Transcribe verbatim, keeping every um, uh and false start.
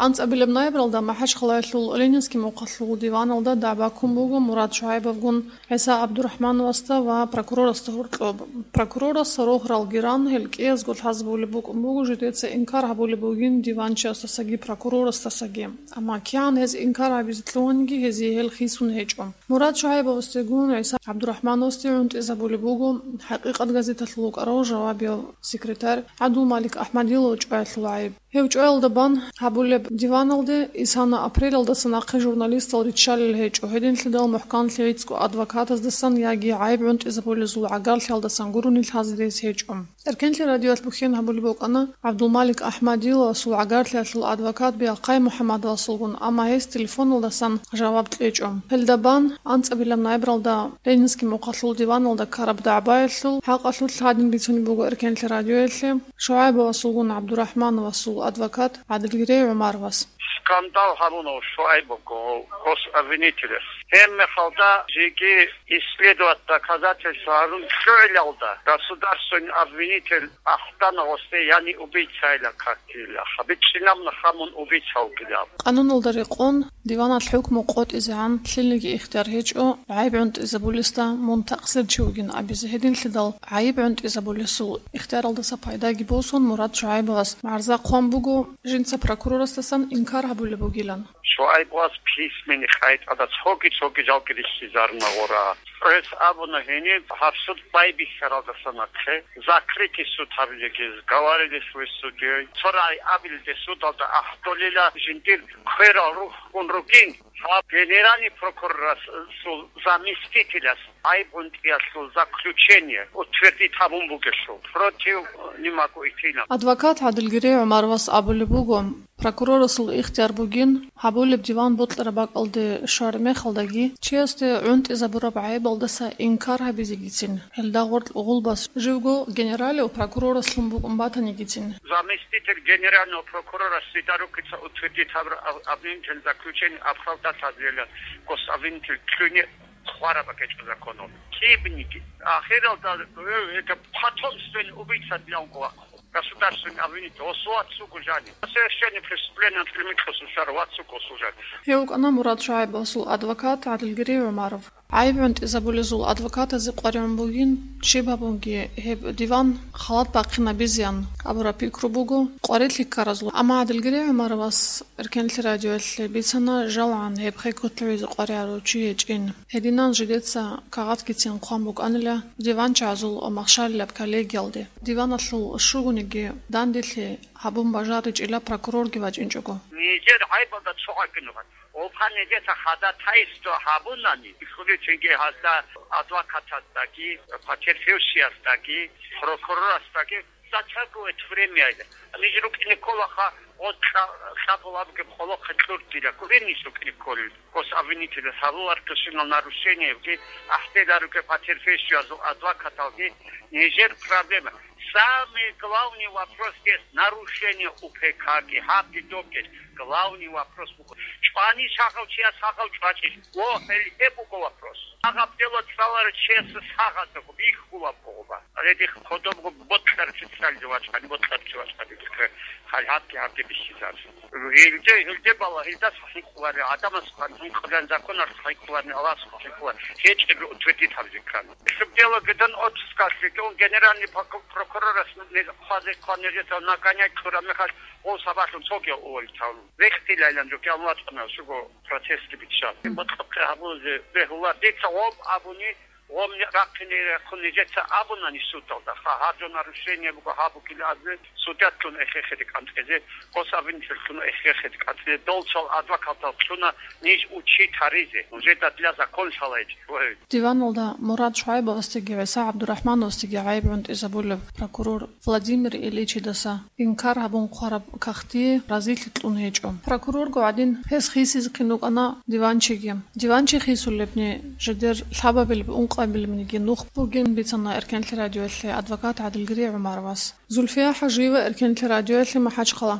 АнцӀабилеб ноябралда МахӀачхъалаялъул Ленинский мухъалъул диваналда дагӀба ккун буго Мурад ШугӀайбовгун ГӀиса ГӀабдурахӀмановасда ва прокурорасда гьоркьоб. Прокурорас рогьаралги ран, гьел кӀиязго лъазабулеб букӀун буго жидеца инкар гьабулеб бугин диванчиясдасаги прокурорасдасаги. Амма кигӀан гьез инкар гьабизе лъугьаниги, гьезие гьел хисун гьечӀо. Мурад ШугӀайбовасдегун ГӀиса ГӀабдурахӀмановасде гӀунтӀизабулеб буго «ХӀакъикъат» газеталъул вукӀарав жавабияв секретарь ГӀабдулмалик АхӀмадилов чӀваялъул гӀайиб. Гьев чӀваялда бан гьабулеб диваналде исана апрелалдаса нахъе журналистал риччалел гьечӀо, гьединлъидал мухӀканлъи гӀицӀго адвокатаздасан яги гӀайиб гӀунтӀизабулезул гӀагарлъиялдасан гурони лъазе рес гьечӀо. Эркенлъи радиоялъ бухьен гьабулеб букӀана ГӀабдулмалик АхӀмадиловасул гӀагарлъиялъул адвокат Биахъай МухӀаммадовасулгун, амма гьес телефоналдасан жаваб кьечӀо. Гьелда бан анцӀабилеб ноябралда Ленинский мухъалъул диваналда ккараб дагӀбаялъул хӀакъалъулъ гьадин бицунеб буго Эркенлъи радиоялъе ШугӀайбовасулгун ГӀабдурахӀмановасул адвокат ГӀадилгерей ГӀумаровас. Скандал гьабуна ШугӀайбовго гособвинителас. Гьебмехалда жеги исследовать доказательства гьарун лъугӀилалда государственный обвинитель ахтана гъосде, яни убийцайилан картила. БичӀчӀинаб нахъа мун убийца вугилан. Къануналда рекъон, диваналъ хӀукму къотӀизегӀан лъилниги ихтияр гьечӀо гӀайиб гӀунтӀизабулесда мун такъсирчи вугин абизе. Гьединлъидал гӀайиб гӀунтӀизабулесул ихтияралдаса пайдаги босун, Мурад ШугӀайбовас гӀарза хъван буго жинца прокурорасдасан инкар гьабулеб бугилан. ШугӀайбовас письменный къайдада цоги-цоги жалги рихьизарна гъора. Гьес абуна гьениб гьаб суд байбихьаралдаса нахъе закрытый суд гьабилеги, говорили с судьей. Цо рагӀи абилде судалда ахӀдолила жиндир кверал рухьун ругин. Гьаб генеральный прокурорасул заместителас гӀайиб гӀунтӀиялъул заключение утвердить гьабун бугелъул, против не могу идти на. Адвокат ГӀадилгерей ГӀумаровас абулеб буго, прокурорасул ихтияр бугин гьабулеб диван бокьараб бакӀалде щвараб мехалдаги, чиясде гӀунтӀизабураб гӀайибалдаса инкар гьабизегицин, гьелда гъоркь гъулбас живго генералив прокурорас лъун букӀун батанигицин. Заместитель генерального прокурора Сидорукица утвердить гьабураб об-, обвинительное заключение оправдать гьабилила гособвинитель кьуни хвараб бакӀ гьечӀо законалда. Кибниги. Ахиралда, э, это потомственный убийца дилан гъулахъ. Государственный обвинитель, гъосул вацго жани. Совершение преступления анцӀила микьусул щварав вацго гъосул жани. Гьев вукӀана Мурад ШугӀайбовасул адвокат ГӀадилгерей ГӀумаров. ГӀайиб гӀунтӀизабулезул адвокатазе къваригӀун бугин, щиб гьабунги гьеб диван халат бахъинабизеян абураб пикру буго къварилъи ккаразул. Амма ГӀадилгерей ГӀумаровас Эркенлъи радиоялъе бицана жалгӀан гьеб хекколъувизе къваригӀарав чи гьечӀин. Гьединан жидеца кагъатгицин хъван букӀанила диванчагӀазул ва махщалилаб коллегиялде. Диваналъул щугониги данделъи гьабун бажаричӀила прокурорги вачӀинчӀого. Нижер гӀайбалда цо гӀакӀинугъан. Гьеб нижеца ходатайство гьабунани, исключение гьазда адвокатасдаги, потерпевшиясдаги, прокурорасдаги затягивает время. Ниж рукӀине кколаха, гъо кьа-, кьабулабги къолохъе кьуртила, курин ниж рукӀине кколел. Гособвинитель гьабуларкье щинал нарушениеги, ахӀдеда руке потерпевшиязул адвокаталги, нижер проблема. Самый главный вопрос здесь нарушение УПК-ги, гьабги добги. Главный вопрос буго. ЧӀвани сахав чияс сахав чӀвачӀищ? О, гьел гьеб буго вопрос. Сахаб дело цӀаларав чияс сахаб бихьулаб бугоба. Гьале дихъ кодобго ботларчи цӀализе вачӀани, ботларчи вачӀани дихъе гьал гьабги гьабги бихьизар. Гьелде, гьелде бала, гьелдас хӀинкъуларел, гӀадамас хӀинкъуларел, законалъ хӀинкъуларел, Аллагьас хӀинкъуларел. ГьечӀеб утвердить гьабизе ккани. Субдело гьедин отпускалъе ккун генеральный прокурорас хъвазе ккван нижеца нагонять кьураб мехалъ, гъов сабаблъун цоги уволить гьавун. Рехтилайилан жо кӀалвачӀана, щуго процессги биччан. МутӀлакъ гьабузе бегьула. Дица гъоб абуни, гъом рахъине рехун нижеца абуна ниж судалда. Ха, гьаб жо нарушение буго, гьаб бугилан абе, судьялъун эхехире кӀантӀезе, гособвинителлъун эхехире кӀантӀезе, долцал адвокаталлъуна ниж учи таризе. Нужеда для закон шалайчи. Диваналда Мурад ШугӀайбовасдеги ГӀиса ГӀабдурахӀмановасдеги гӀайиб гӀунтӀизабулеб прокурор Владимир Ильичидаса инкар гьабун хъвараб кагътие разилъи кьун гьечӀо. Прокурорго гӀадин, гьес хисизехъин рукӀана диванчиги. Диванчи хисулебни, жидер лъабабилеб-ункъабилебниги нух бугин бицана Эркенлъи радиоялъе адвокат ГӀадилгерей ГӀумаровас. Зульфия ХӀажиева, Эркенлъи радиоялъе, МахӀачхъала.